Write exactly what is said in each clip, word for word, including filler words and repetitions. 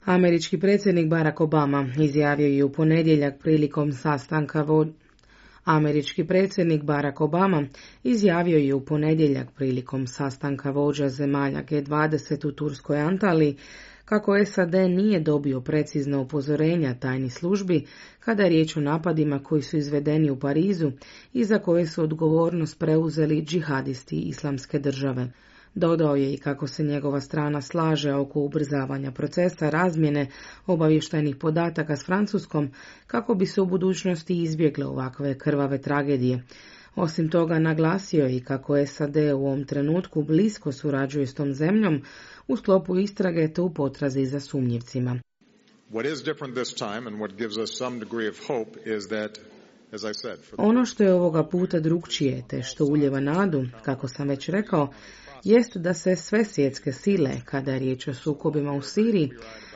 Američki predsjednik Barack Obama izjavio je u ponedjeljak prilikom sastanka vo... Američki predsjednik Barack Obama izjavio je u ponedjeljak prilikom sastanka vođa zemalja G dvadeset u Turskoj Antaliji kako S A D nije dobio precizna upozorenja tajnih službi kada je riječ o napadima koji su izvedeni u Parizu i za koje su odgovornost preuzeli džihadisti Islamske države. Dodao je i kako se njegova strana slaže oko ubrzavanja procesa razmjene obavještajnih podataka s Francuskom kako bi se u budućnosti izbjegle ovakve krvave tragedije. Osim toga, naglasio je i kako S A D u ovom trenutku blisko surađuje s tom zemljom u sklopu istrage te u potrazi za sumnjivcima. Ono što je ovoga puta drukčije te što ulijeva nadu, kako sam već rekao, jest da se sve svjetske sile, kada je riječ o sukobima u Siriji,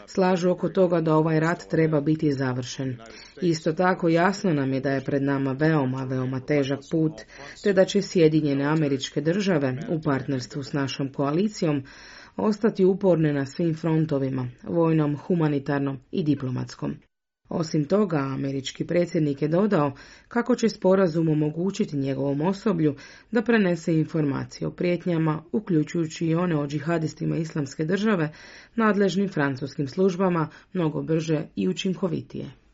slažu oko toga da ovaj rat treba biti završen. Isto tako jasno nam je da je pred nama veoma, veoma težak put, te da će Sjedinjene Američke Države u partnerstvu s našom koalicijom ostati uporne na svim frontovima, vojnom, humanitarnom i diplomatskom. Osim toga, američki predsjednik je dodao kako će sporazum omogućiti njegovom osoblju da prenese informacije o prijetnjama, uključujući i one o džihadistima Islamske države, nadležnim francuskim službama mnogo brže i učinkovitije.